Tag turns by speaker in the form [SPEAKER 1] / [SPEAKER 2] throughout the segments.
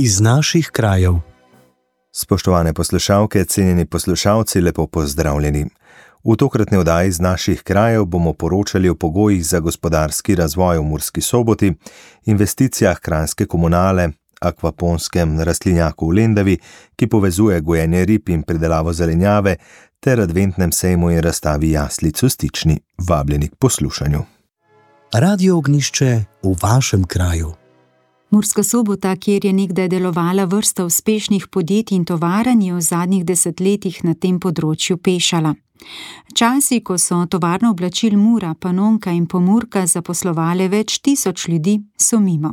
[SPEAKER 1] iz naših krajev.
[SPEAKER 2] Spoštovane poslušalke, cenjeni poslušalci, lepo pozdravljeni. V tokratni oddaji iz naših krajev bomo poročali o pogojih za gospodarski razvoj v Murski Soboti, investicijah Kranjske komunale, akvaponskem rastlinjaku v Lendavi, ki povezuje gojenje rib in pridelavo zelenjave, ter adventnem sejmu in razstavi jaslic v Stični. Vabljeni k poslušanju.
[SPEAKER 1] Radio Ognjišče v vašem kraju.
[SPEAKER 3] Murska Sobota, kjer je nekdaj delovala vrsta uspešnih podjetij in tovarn, je v zadnjih desetletjih na tem področju pešala. Časi, ko so tovarno oblačil Mura, Panonka in Pomurka zaposlovale več tisoč ljudi, so mimo.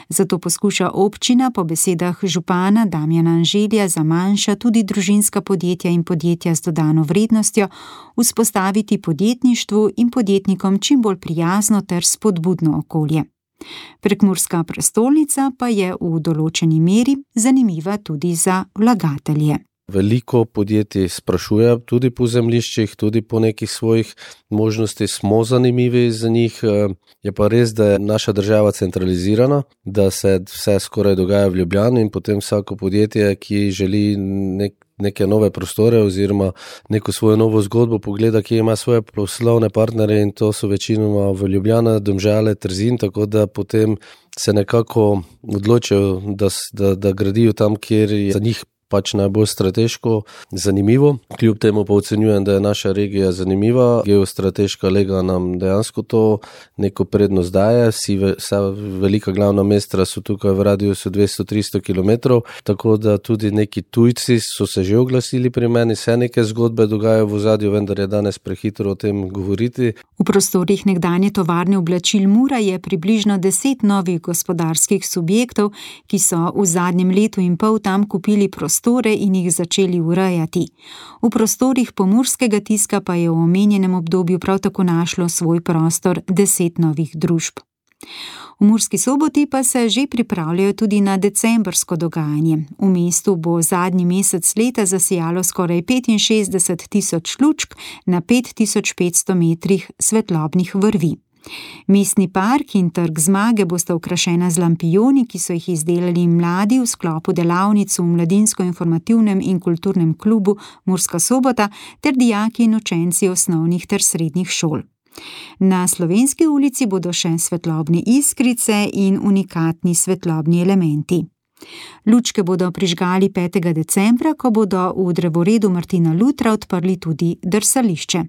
[SPEAKER 3] Zato poskuša občina po besedah župana Damjana Anželja za manjša tudi družinska podjetja in podjetja z dodano vrednostjo vzpostaviti podjetništvu in podjetnikom čim bolj prijazno ter spodbudno okolje. Prekmurska prestolnica pa je v določeni meri zanimiva tudi za vlagatelje.
[SPEAKER 4] Veliko podjetij sprašuje tudi po zemljiščih, tudi po nekih svojih možnosti, smo zanimivi za njih. Je pa res, da je naša država centralizirana, da se vse skoraj dogaja v Ljubljani in potem vsako podjetje, ki želi neke nove prostore oziroma neko svojo novo zgodbo pogleda, ki ima svoje poslovne partnerje, in to so večinoma v Ljubljana, Domžale, Trzin, tako da potem se nekako odločijo, da gradijo tam, kjer je za njih pač najbolj strateško zanimivo. Kljub temu pa ocenjujem, da je naša regija zanimiva. Geostrateška lega nam dejansko to neko prednost daje. Vsa velika glavna mesta so tukaj v radiusu 200-300 km, tako da tudi neki tujci so se že oglasili pri meni, se neke zgodbe dogajajo v ozadju, vendar je danes prehitro o tem govoriti.
[SPEAKER 3] V prostorih nekdanje tovarne oblačil Mura je približno 10 novih gospodarskih subjektov, ki so v zadnjem letu in pol tam kupili prostore in jih začeli urejati. V prostorih pomurskega tiska pa je v omenjenem obdobju prav tako našlo svoj prostor 10 novih družb. V Murski Soboti pa se že pripravljajo tudi na decembrsko dogajanje. V mestu bo zadnji mesec leta zasijalo skoraj 65.000 lučk na 5.500 metrih svetlobnih vrvi. Mestni park in trg Zmage bosta okrašena z lampijoni, ki so jih izdelali mladi v sklopu delavnic v Mladinsko-informativnem in kulturnem klubu Murska Sobota ter dijaki in učenci osnovnih ter srednjih šol. Na Slovenski ulici bodo še svetlobne iskrice in unikatni svetlobni elementi. Lučke bodo prižgali 5. decembra, ko bodo v drevoredu Martina Lutra odprli tudi drsališče.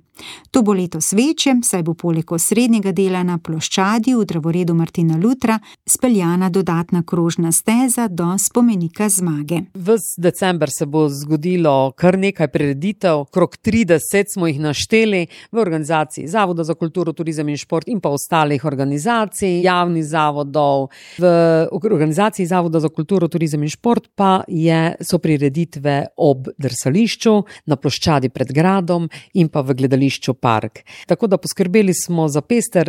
[SPEAKER 3] To bo letos večje, saj bo poleg osrednjega dela na ploščadi v drevoredu Martina Lutra speljana dodatna krožna steza do spomenika Zmage.
[SPEAKER 5] Ves december se bo zgodilo kar nekaj prireditev, krog 30 smo jih našteli v organizaciji Zavoda za kulturo, turizem in šport in pa ostalih organizacij, javnih zavodov. V organizaciji Zavoda za kulturo, turizem in šport pa so prireditve ob drsališču, na ploščadi pred gradom in pa v gledališču Park. Tako da poskrbeli smo za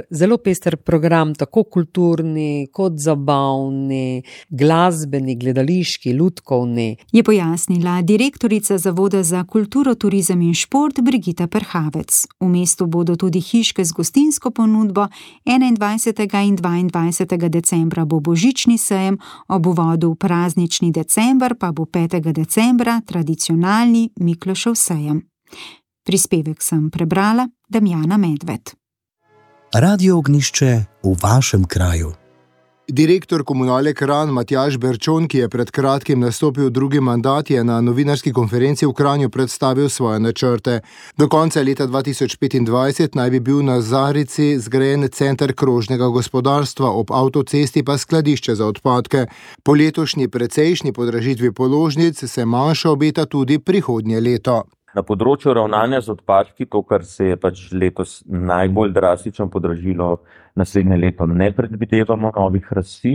[SPEAKER 5] zelo pester program, tako kulturni kot zabavni, glasbeni, gledališki, lutkovni.
[SPEAKER 3] Je pojasnila direktorica Zavoda za kulturo, turizem in šport Brigita Perhavec. V mestu bodo tudi hiške z gostinsko ponudbo, 21. in 22. decembra bo božični sejem, ob uvodu v praznični december pa bo 5. decembra tradicionalni Miklošev sejem. Prispevek sem prebrala Damjana Medved.
[SPEAKER 1] Radio Ognjišče v vašem kraju.
[SPEAKER 6] Direktor komunale Kranj Matjaž Berčon, ki je pred kratkim nastopil drugi mandat, je na novinarski konferenci v Kranju predstavil svoje načrte. Do konca leta 2025 naj bi bil na Zarici zgrajen center krožnega gospodarstva, ob avtocesti pa skladišče za odpadke. Po letošnji precejšnji podražitvi položnic se manjša obeta tudi prihodnje leto.
[SPEAKER 7] Na področju ravnanja z odpadki, to, kar se je pač letos najbolj drastično podražilo, naslednje leto ne predvidevamo novih rasti,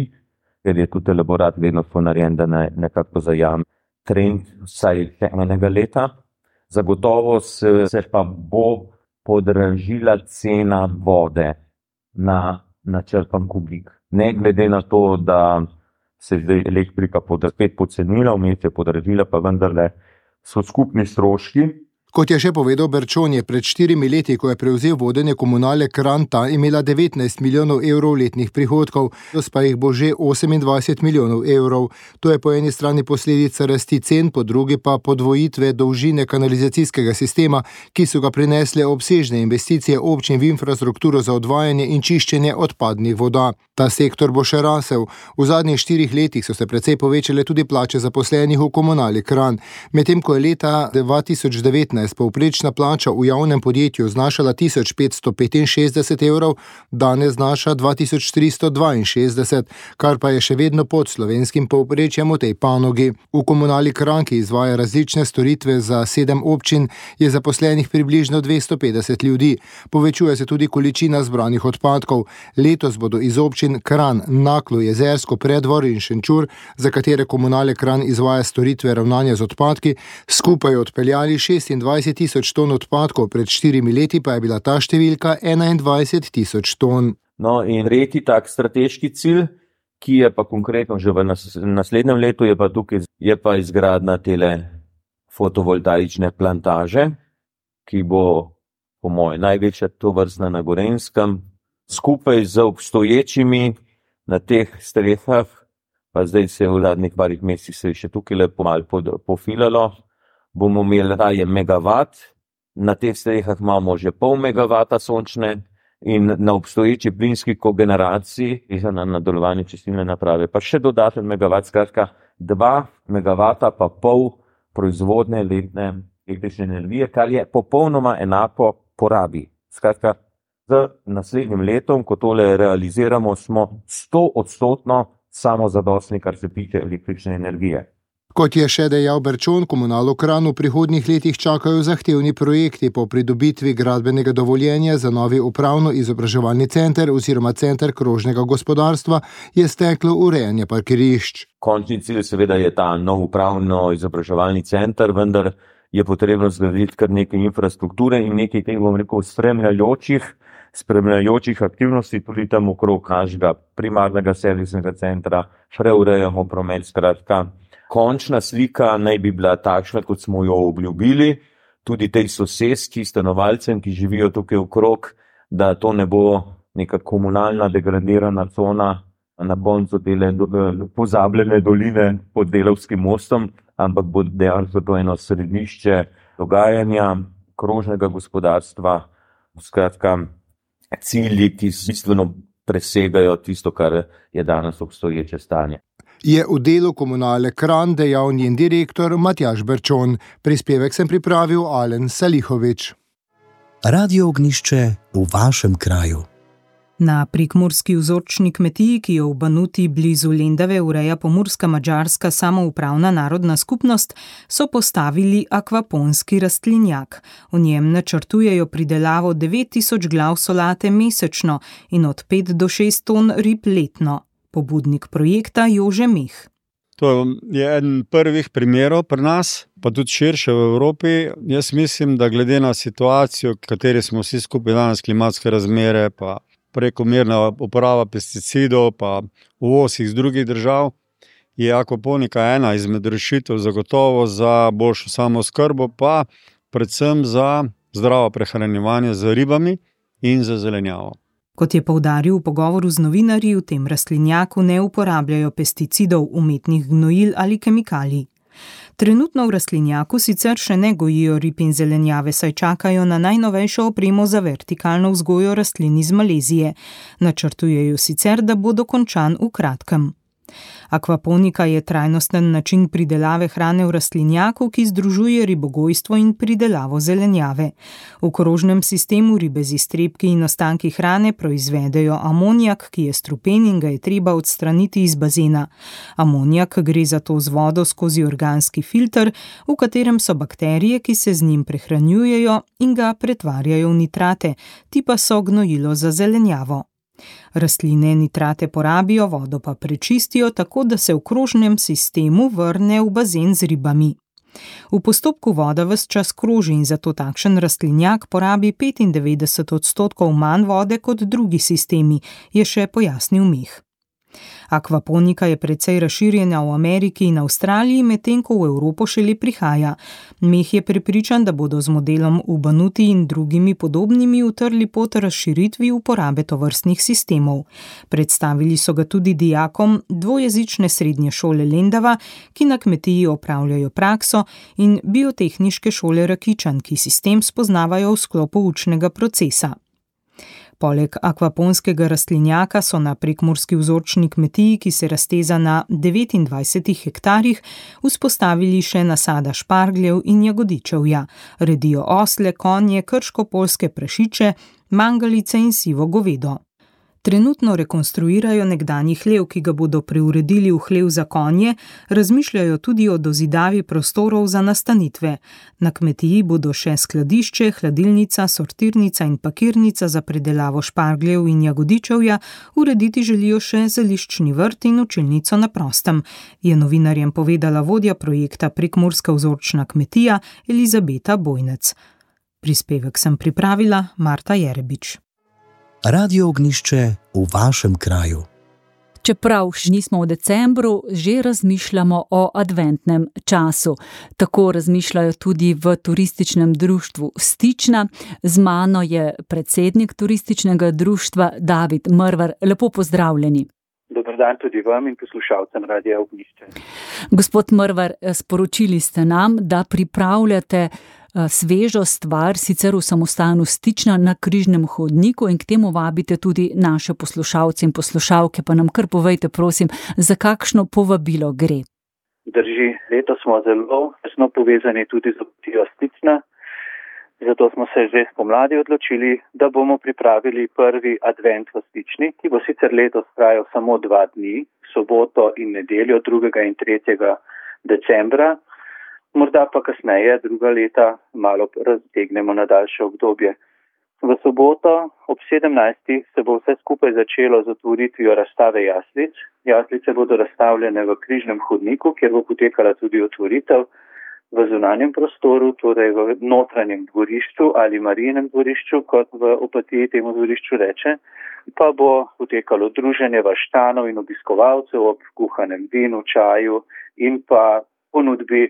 [SPEAKER 7] ker je tudi elaborat vedno narejen, da nekako zajame trend vsaj enega leta. Zagotovo se pa bo podražila cena vode na načrpan kubik. Ne glede na to, da se je elektrika spet pocenila, vmes je podražila, pa vendarle so skupni stroški
[SPEAKER 6] Kot je še povedal Berčon, je pred 4 leti, ko je prevzel vodenje Komunale Kranj, ta imela 19 milijonov evrov letnih prihodkov, letos pa jih bo že 28 milijonov evrov. To je po eni strani posledica rasti cen, po drugi pa podvojitve dolžine kanalizacijskega sistema, ki so ga prinesle obsežne investicije občin v infrastrukturo za odvajanje in čiščenje odpadnih voda. Ta sektor bo še rasel. V zadnjih 4 letih so se precej povečale tudi plače zaposlenih v Komunali Kranj, medtem ko je leta 2019 povprečna plača v javnem podjetju znašala 1565 evrov, danes znaša 2362, kar pa je še vedno pod slovenskim povprečjem v tej panogi. V Komunali Kranj, ki izvaja različne storitve za 7 občin, je zaposlenih približno 250 ljudi. Povečuje se tudi količina zbranih odpadkov. Letos bodo iz občin Kranj, Naklo, Jezersko, Preddvor in Šenčur, za katere Komunale Kranj izvaja storitve ravnanja z odpadki, skupaj odpeljali 26 tisoč ton odpadkov, pred 4 leti pa je bila ta številka 21 tisoč ton.
[SPEAKER 7] No in tretji tak strateški cilj, ki je pa konkretno že v naslednjem letu, je pa izgradnja tele fotovoltaične plantaže, ki bo po mojem največja tovrstna na Gorenjskem, skupaj z obstoječimi na teh strehah, pa zdaj se v zadnjih parih mesecih se je še tukaj lepo malo pofilalo, bomo imeli raje megavat, na teh strehah imamo že pol megavata sončne in na obstoječi plinski kogeneraciji na nadaljevanje čistilne naprave pa še dodaten megavat, skratka 2 megavata pa pol proizvodne letne električne energije, kar je popolnoma enako porabi. Skratka, z naslednjim letom, ko tole realiziramo, smo 100% samozadostni, kar se tiče električne energije.
[SPEAKER 6] Kot je še dejal Berčon, Komunalo Kranj v prihodnjih letih čakajo zahtevni projekti po pridobitvi gradbenega dovoljenja za novi upravno-izobraževalni center oziroma center krožnega gospodarstva, je steklo urejanje parkirišč.
[SPEAKER 7] Končni cilj seveda je ta nov upravno-izobraževalni center, vendar je potrebno zgraditi kar nekaj infrastrukture in nekaj teh, spremljajočih aktivnosti tudi tam okrog našega primarnega servisnega centra, preurejamo promet, skratka. Končna slika naj bi bila takšna, kot smo jo obljubili, tudi tej soseski, stanovalcem, ki živijo tukaj okrog, da to ne bo neka komunalna degradirana cona na koncu tele pozabljene doline pod Delavskim mostom, ampak bo dejansko to eno središče dogajanja, krožnega gospodarstva, skratka cilji, ki bistveno presegajo tisto, kar je danes obstoječe stanje.
[SPEAKER 6] Je v delu Komunale Kranj dejal njen direktor Matjaž Berčon. Prispevek sem pripravil Alen Salihovič.
[SPEAKER 1] Radio Ognjišče v vašem kraju.
[SPEAKER 3] Na prekmurski vzorčni kmetiji, ki jo v Banuti blizu Lendave ureja pomurska madžarska samoupravna narodna skupnost, so postavili akvaponski rastlinjak. V njem načrtujejo pridelavo 9000 glav solate mesečno in od 5 do 6 ton rib letno. Pobudnik projekta Jože Meh.
[SPEAKER 8] To je eden prvih primerov pri nas, pa tudi širše v Evropi. Jaz mislim, da glede na situacijo, v kateri smo vsi skupaj danes, klimatske razmere, pa prekomerna uporaba pesticidov, pa uvoz iz drugih držav, je akvaponika ena izmed rešitev zagotovo za boljšo samooskrbo, pa predvsem za zdravo prehranjevanje z ribami in za zelenjavo.
[SPEAKER 3] Kot je poudaril v pogovoru z novinarji, v tem rastlinjaku ne uporabljajo pesticidov, umetnih gnojil ali kemikalij. Trenutno v rastlinjaku sicer še ne gojijo rib in zelenjave, saj čakajo na najnovejšo opremo za vertikalno vzgojo rastlin iz Malezije. Načrtujejo sicer, da bo dokončan v kratkem. Akvaponika je trajnosten način pridelave hrane v rastlinjaku, ki združuje ribogojstvo in pridelavo zelenjave. V krožnem sistemu ribe z iztrebki in ostanki hrane proizvedejo amonijak, ki je strupen in ga je treba odstraniti iz bazena. Amonijak gre zato z vodo skozi organski filter, v katerem so bakterije, ki se z njim prehranjujejo in ga pretvarjajo v nitrate, ti pa so gnojilo za zelenjavo. Rastline nitrate porabijo, vodo pa prečistijo, tako da se v krožnem sistemu vrne v bazen z ribami. V postopku voda ves čas kroži in zato takšen rastlinjak porabi 95% manj vode kot drugi sistemi, je še pojasnil Meh.
[SPEAKER 9] Akvaponika je precej razširjena v Ameriki in Avstraliji, medtem ko v Evropo šele prihaja. Meh je prepričan, da bodo z modelom Ubanuti in drugimi podobnimi utrli pot razširitvi uporabe tovrstnih sistemov. Predstavili so ga tudi dijakom dvojezične srednje šole Lendava, ki na kmetiji opravljajo prakso, in biotehniške šole Rakičan, ki sistem spoznavajo v sklopu učnega procesa. Poleg akvaponskega rastlinjaka so na prekmurski vzorčni kmetiji, ki se razteza na 29 hektarjih, vzpostavili še nasada špargljev in jagodičevja. Redijo osle, konje, krško-poljske prašiče, mangalice in sivo govedo. Trenutno rekonstruirajo nekdanji hlev, ki ga bodo preuredili v hlev za konje, razmišljajo tudi o dozidavi prostorov za nastanitve. Na kmetiji bodo še skladišče, hladilnica, sortirnica in pakirnica za predelavo špargljev in jagodičevja, urediti želijo še zeliščni vrt in učilnico na prostem, je novinarjem povedala vodja projekta Prekmurska vzorčna kmetija Elizabeta Bojnec. Prispevek sem pripravila Marta Jerebič.
[SPEAKER 1] Radio Ognjišče v vašem kraju.
[SPEAKER 10] Čeprav še nismo v decembru, že razmišljamo o adventnem času. Tako razmišljajo tudi v turističnem društvu Stična. Z mano je predsednik turističnega društva David Mrvar. Lepo pozdravljeni.
[SPEAKER 11] Dober dan tudi vam in poslušalcem Radia Ognjišče.
[SPEAKER 10] Gospod Mrvar, sporočili ste nam, da pripravljate svežo stvar, sicer v samostanu Stična na Križnem hodniku, in k temu vabite tudi naše poslušalce in poslušalke. Pa nam kar povejte, prosim, za kakšno povabilo gre.
[SPEAKER 11] Drži, letos smo zelo tesno povezani tudi z obtijo Stična, zato smo se že spomladi odločili, da bomo pripravili prvi advent v Stični, ki bo sicer letos trajal samo 2 dni, soboto in nedeljo 2. in 3. decembra. Morda pa kasneje, druga leta, malo raztegnemo na daljše obdobje. V soboto ob 17. se bo vse skupaj začelo z otvoritvijo razstave jaslic. Jaslice bodo razstavljene v Križnem hodniku, kjer bo potekala tudi otvoritev v zunanjem prostoru, torej v notranjem dvorišču ali Marijinem dvorišču, kot v Opatiji temu dvorišču reče. Pa bo potekalo druženje vaščanov in obiskovalcev ob kuhanem vinu, čaju in pa ponudbi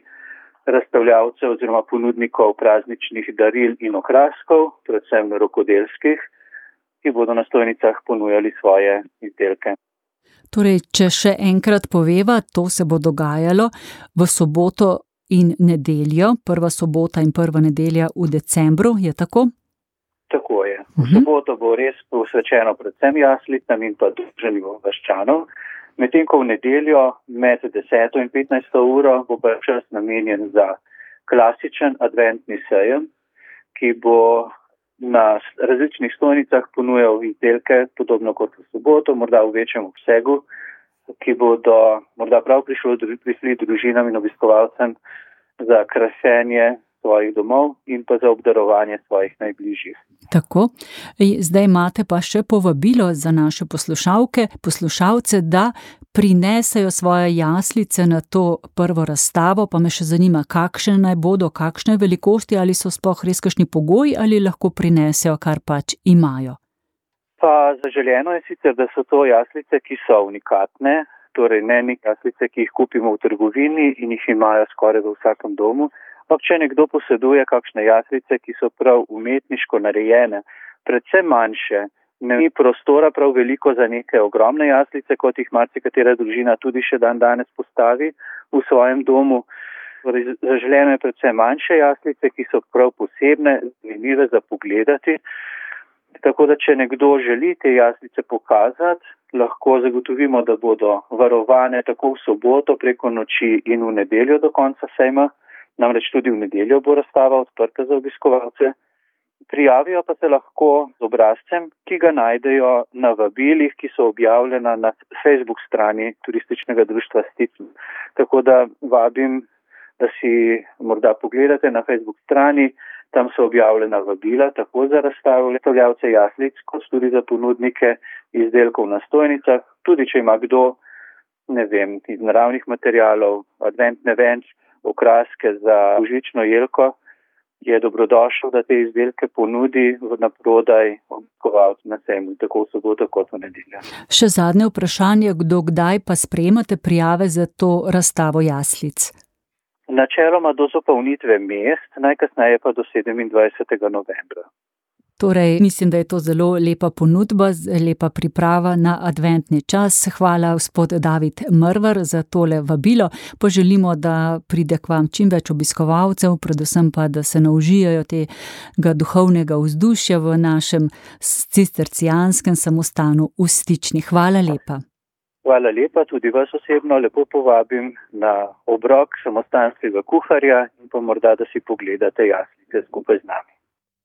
[SPEAKER 11] razstavljavcev oziroma ponudnikov prazničnih daril in okraskov, predvsem rokodelskih, ki bodo na stojnicah ponujali svoje izdelke.
[SPEAKER 10] Torej, če še enkrat poveva, to se bo dogajalo v soboto in nedeljo, prva sobota in prva nedelja v decembru, je tako?
[SPEAKER 11] Tako je. V soboto bo res posvečeno predvsem jaslicam in pa druženju vaščanov. Medtem ko v nedeljo med 10. in 15. uro bo pa čas namenjen za klasičen adventni sejem, ki bo na različnih stojnicah ponujal izdelke, podobno kot v soboto, morda v večjem obsegu, ki bodo morda prav prišli družinam in obiskovalcem za krašenje svojih domov in pa za obdarovanje svojih najbližjih.
[SPEAKER 10] Tako, zdaj imate pa še povabilo za naše poslušalce, da prinesejo svoje jaslice na to prvo razstavo, pa me še zanima, kakšne naj bodo, kakšne velikosti, ali so sploh res kakšni pogoji, ali lahko prinesejo, kar pač imajo.
[SPEAKER 11] Pa zaželjeno je sicer, da so to jaslice, ki so unikatne, torej ne jaslice, ki jih kupimo v trgovini in jih imajo skoraj v vsakem domu. Če nekdo poseduje kakšne jaslice, ki so prav umetniško narejene, predvsem manjše, ni prostora prav veliko za neke ogromne jaslice, kot jih marsikatera družina tudi še danes postavi v svojem domu. Zaželeno je predvsem manjše jaslice, ki so prav posebne, zanimive za pogledati. Tako da, če nekdo želi te jaslice pokazati, lahko zagotovimo, da bodo varovane tako v soboto preko noči in v nedeljo do konca sejma. Namreč tudi v nedeljo bo razstava odprta za obiskovalce. Prijavijo pa se lahko z obrazcem, ki ga najdejo na vabilih, ki so objavljena na Facebook strani Turističnega društva Stična. Tako da vabim, da si morda pogledate na Facebook strani, tam so objavljena vabila tako za razstavljavce jaslic, kot tudi za ponudnike izdelkov na stojnicah. Tudi če ima kdo, iz naravnih materialov, adventne venč, okraske za božično jelko, je dobrodošel, da te izdelke ponudi na prodaj obiskovalcem na sejmu, tako v soboto kot v nedeljo.
[SPEAKER 10] Še zadnje vprašanje, kdaj pa sprejemate prijave za to razstavo jaslic?
[SPEAKER 11] Načeloma do zapolnitve mest, najkasneje pa do 27. novembra.
[SPEAKER 10] Torej, mislim, da je to zelo lepa ponudba, lepa priprava na adventni čas. Hvala, gospod David Mrvar, za tole vabilo. Poželimo, da pride k vam čim več obiskovalcev, predvsem pa, da se naužijajo tega duhovnega vzdušja v našem cistercijanskem samostanu v Stični. Hvala lepa.
[SPEAKER 11] Hvala lepa, tudi vas osebno lepo povabim na obrok samostanskega kuharja in pa morda, da si pogledate jaslice skupaj z nami.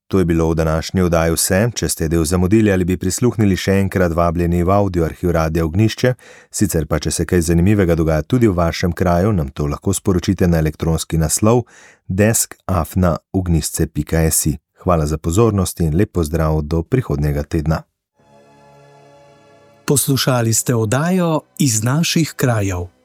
[SPEAKER 2] To je bilo v današnji oddaji vse. Če ste del zamudili ali bi prisluhnili, še enkrat vabljeni v audio arhiv Radia Ognjišče. Sicer pa, če se kaj zanimivega dogaja tudi v vašem kraju, nam to lahko sporočite na elektronski naslov desk@ognjišče.si. Hvala za pozornost in lep pozdrav do prihodnjega tedna.
[SPEAKER 1] Poslušali ste oddajo Iz naših krajev.